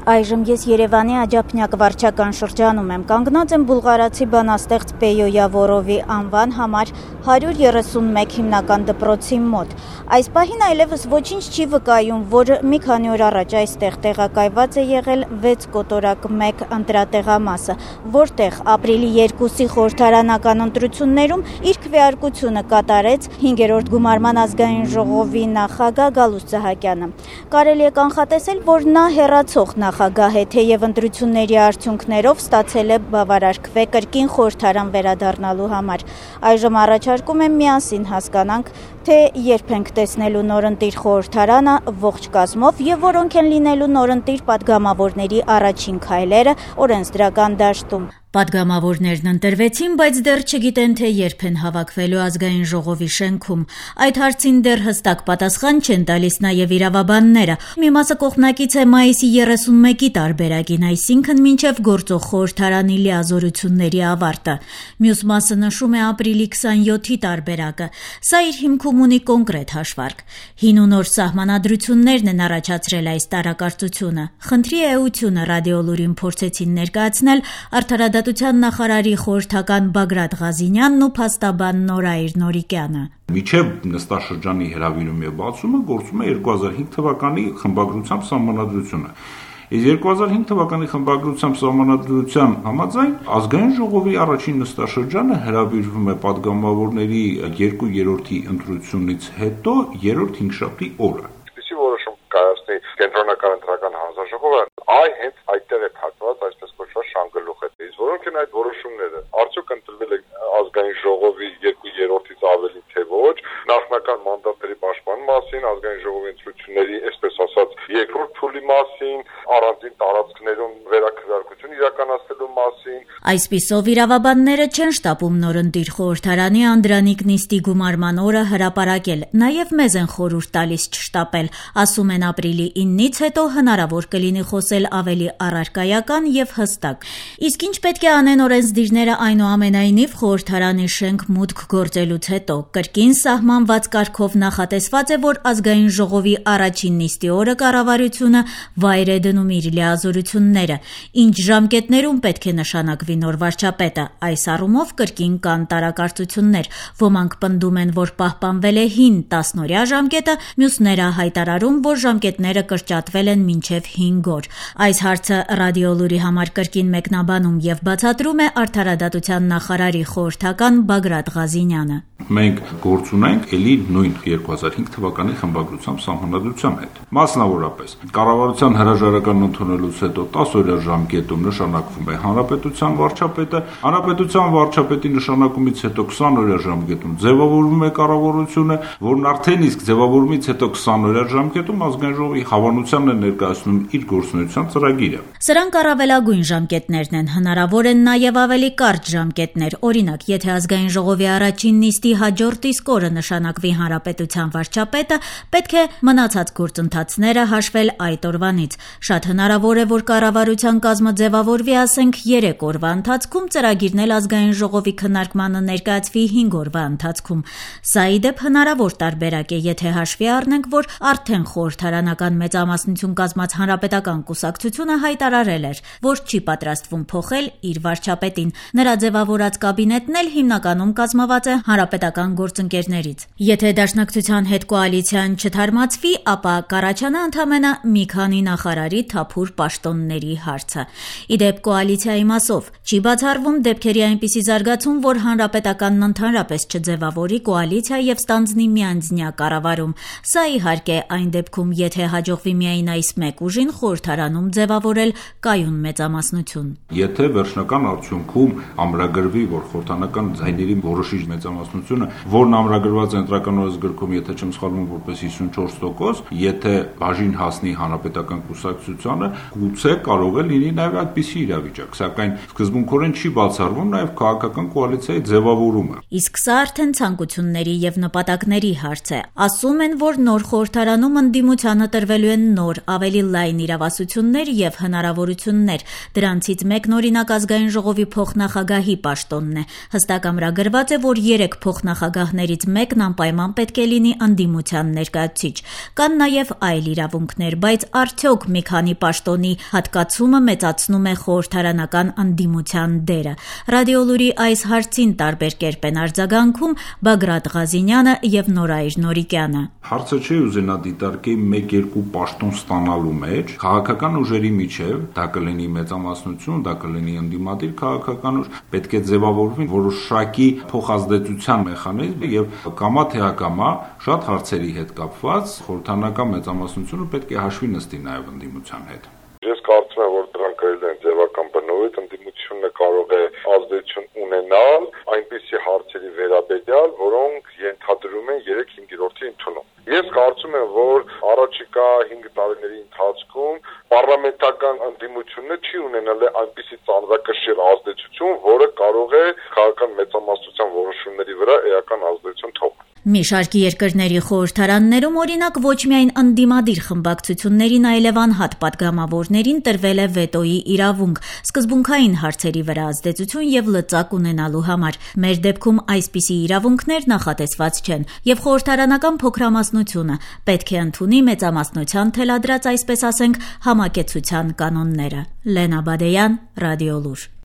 Այժմ ես Երևանի Աջափնյակ վարչական շրջանում եմ, կանգնած եմ բուլղարացի բանաստեղծ Պեյո Յավորովի անվան համար 131 հիմնական դպրոցի մոտ։ Այս պահին այլևս ոչինչ չի վկայում, որ մի քանի օր առաջ այստեղ տեղակայված է եղել 6 կոտորակ 1 ընտրատեղամասը, որտեղ ապրիլի 2-ի խորհրդարանական ընտրություններում իր քվեարկությունը կատարեց 5-րդ գումարման ազգային ժողովի նախագահ Գալուստ Սահակյանը։ Կարելի է կանխատեսել, որ նա հեռացող նախագահ է, թեև ընտրությունների արդյունքներով ստացել է բավարար քվե կրկին խորհրդարան վերադառնալու համար։ Այժմ առաջարկում եմ միասին հասկանանք, թե երբ ենք տեսնելու նորընտիր խորհրդարանը ողջ կազմով եւ որոնք են լինելու նորընտիր падգամավորների առաջին քայլերը օրենսդրական դաշտում։ Падգամավորներն ընտրվեցին, բայց դեռ չգիտեն, թե երբ են հավաքվելու ազգային ժողովի շենքում։ Այդ հարցին դեռ հստակ պատասխան չեն տալիս նաև իրավաբանները։ Մի մասը կողմնակից է մայիսի 31-ի տարբերակին, այսինքն մինչև գործող խորհրդարանի լիազորությունների ավարտը։ Մյուս մասը նշում է ապրիլի 27-ի տարբերակը։ Սա իր հիմքում ունի կոնկրետ հաշվարկ։ Հին ու նոր սահմանադրություններն են առաջացրել այս տարակարծությունը։ Խնդրի էությունը ռադիոլուրին փորձեցին ներկայացնել արդարադատության նախարարի խորհրդական Բագրատ Ղազինյանն ու փաստաբան Նորայր Նորիկյանը։ Միջև նստաշրջանի հրավիրում եւ բացումը գործում է 2005 թվականի խմբագրությամբ սահմանադրությունը։ Իսկ 2005 թվականի խմբագրությամբ սահմանադրության համաձայն ազգային ժողովի առաջին նստաշրջանը հրավիրվում է падգամավորների 2/3 ընտրությունից հետո 3-րդ հինգշաբթի օրը։ Այսպիսի որոշում կայացնի կենտրոնական ընտրական հանձնաժողովը, հենց այդտեղ է փակված այսպես կոչված շանգլուխը։ Որոնք են այդ որոշումները։ Արդյոք ընտրվել է ազգային ժողովի 2/3-ից ավելի թե ոչ, նախնական մանդատների պաշտպանության մասին, ազգային ժողովի ընտրությունների, այսպես ասած, երկրորդ փուլի մասին, առանձին տարածքներում վերաքվեարկություն իրականացնելու մասին։ Այսպիսով իրավաբանները չեն շտապում նորընտիր խորհրդարանի Անդրանիկ նիստի գումարման օրը հրապարակել, նաև մեզ են խորհուրդ տալիս չշտապել, ասում են ապրիլի 9-ից հետո հնարավոր կլինի խոսել ավելի առարկայական եւ հստակ։ Իսկ ինչ պետք է անեն օրենսդիրները այնուամենայնիվ խորհրդարանի շենք մուտք գործելուց հետո։ Կրկին սահմանված կարգով նախատեսված է, որ ազգային ժողովի առաջին նիստի օրը կառավարությունը վայր է դնում իր լիազորությունները։ Ինչ ժամկետներում պետք է նշանակվի նոր վարչապետը։ Այս առումով կրկին կան տարակարծություններ։ Ոմանք պնդում են, որ պահպանվել է հին 10-օրյա ժամկետը, մյուսները հայտարարում, որ ժամկետները կրճատվել են մինչև 5 օր։ Այս հարցը ռադիոլուրի համար կրկին մեկնաբանում եւ բացատրում է արդարադատության նախարարի խորհրդական Բագրատ Ղազինյանը։ Մենք գործ ունենք ելի նույն 2005 թվականի խմբագրությամբ սահմանադրության հետ։ Մասնավորապես, կառավարության հրաժարական ընդունելուց հետո 10-օրյա ժամկետում նշանակվում է հանրապետության վարչապետը, հանրապետության վարչապետի նշանակումից հետո 20-օրյա ժամկետում ձևավորվում է կառավարությունը, որն արդեն իսկ ձևավորումից հետո 20-օրյա ժամկետում ազգային ժողովի հավանությանն է ներկայացնում իր գործունեության ծրագիրը։ Սրանք առավելագույն ժամկետներն են, հնարավոր են նաև ավելի կարճ ժամկետներ։ Օրինակ, եթե ազգային ժողովի առաջին նիստի հաջորդ իսկ օրը նշանակվի հանրապետության վարչապետը, պետք է մնացած գործընթացները հաշվել այդ օրվանից։ Շատ հնարավոր է, որ կառավարության կազմը ձևավորվի, ասենք 3 օրվա ընթացքում, ծրագիրն էլ ազգային ժողովի քննարկմանը ներկայացվի 5 օրվա ընթացքում։ Սա ի դեպ հնարավոր տարբերակ է, եթե հաշվի առնենք, որ արդեն խորհրդարանական մեծամասնություն կազմած հանրապետական կուսակցությունը հայտարարել էր, որ չի պատրաստվում փոխել իր վարչապետին։ Նրա ձևավորած կաբինետն էլ հիմնականում կազմված է հանրապետական գործընկերներից։ Եթե դաշնակցության հետ կոալիցիան չթարմացվի, ապա կառաջանա ընդամենը մի քանի նախարարի թափուր պաշտոնների հարցը։ Ի դեպ կոալիցիայի մասով չի բացառվում դեպքերի այնպիսի զարգացում, որ հանրապետականն ընդհանրապես չձևավորի կոալիցիա եւ ստանձնի միանձնյա կառավարում։ Սա իհարկե այն դեպքում, եթե հաջողվի միայն այս մեկ ուժին խորհրդարանում ձևավորել կայուն մեծամասնություն։ Եթե վերջնական արդյունքում ամրագրվի, որ խորհրդարանական ձայների որոշիչ մեծամասնությունը, որն ամրագրված է ընտրական օրենսգրքում, եթե չեմ սխալվում, որպես 54%, եթե բաժին հասնի հանրապետական կուսակցությանը, գուցե կարող է լինի նաև այդպիսի իրավիճակ, սակայն սկզբում սկզբունքորեն չի բացառվում նաև քաղաքական կոալիցիայի ձևավորումը։ Իսկ սա արդեն ցանկությունների եւ նպատակների հարց է։ Ասում են, որ նոր խորհրդարանում ընդդիմությանը տրվելու են նոր, ավելի լայն իրավասություններ եւ հնարավորություններ։ Դրանցից մեկն օրինակ ազգային ժողովի փոխնախագահի պաշտոնն է։ Հստակ ամրագրված է, որ 3 փոխնախագահներից մեկն անպայման պետք է լինի ընդդիմության ներկայացուցիչ։ Կան նաև այլ իրավունքներ, բայց արդյոք մի քանի պաշտոնի հատկացումը մեծացնում է խորհրդարանական ընդդիմության դերը։ Ռադիոլուրի այս հարցին տարբեր կերպ են արձագանքում Բագրատ Ղազինյանը եւ Նորայր Նորիկյանը։ Հարցը չի ուզենա դիտարկի 1-2 պաշտոն ստանալու մեջ քաղաքական ուժերի միջև, դա կլինի մեծամասնություն, դա կլինի ընդդիմադիր քաղաքական ուժ, պետք է ձևավորվի որոշակի փոխազդեցության մեխանիզմ եւ կամա թե ակամա շատ հարցերի հետ կապված խորհրդարանական մեծամասնությունը պետք է հաշվի նստի նաեւ ընդդիմության հետ։ Ես կարծում եմ, որ դրանք գրել են ձևական բնույթ, ընդդիմությունը կարող է ազդեցություն ունենալ այնպիսի հարցերի վերաբերյալ, որոնք ենթադրում են 3/5-րդի ընդունում։ Ես կարծում եմ, որ առաջիկա 5 տարիների ընթացքում պարլամենտական ընդդիմությունը չի ունենալ այնպիսի ծանրակշիռ ազդեցություն, որը կարող է քաղաքական մեծամասնության որոշումների վրա էական ազդեցություն թողնել։ Մի շարքի երկրների խորհրդարաններում օրինակ ոչ միայն ընդդիմադիր խմբակցություններին, այլև անհատ պատգամավորներին տրվել է վետոյի իրավունք, սկզբունքային հարցերի վրա ազդեցություն եւ լծակ ունենալու համար։ Մեր դեպքում այսպիսի իրավունքներ նախատեսված չեն, եւ խորհրդարանական փոքրամասնությունը պետք է ընդունի մեծամասնության թելադրած, այսպես ասենք, համակեցության կանոնները։ Լենա Բադեյան, Ռադիոլուր։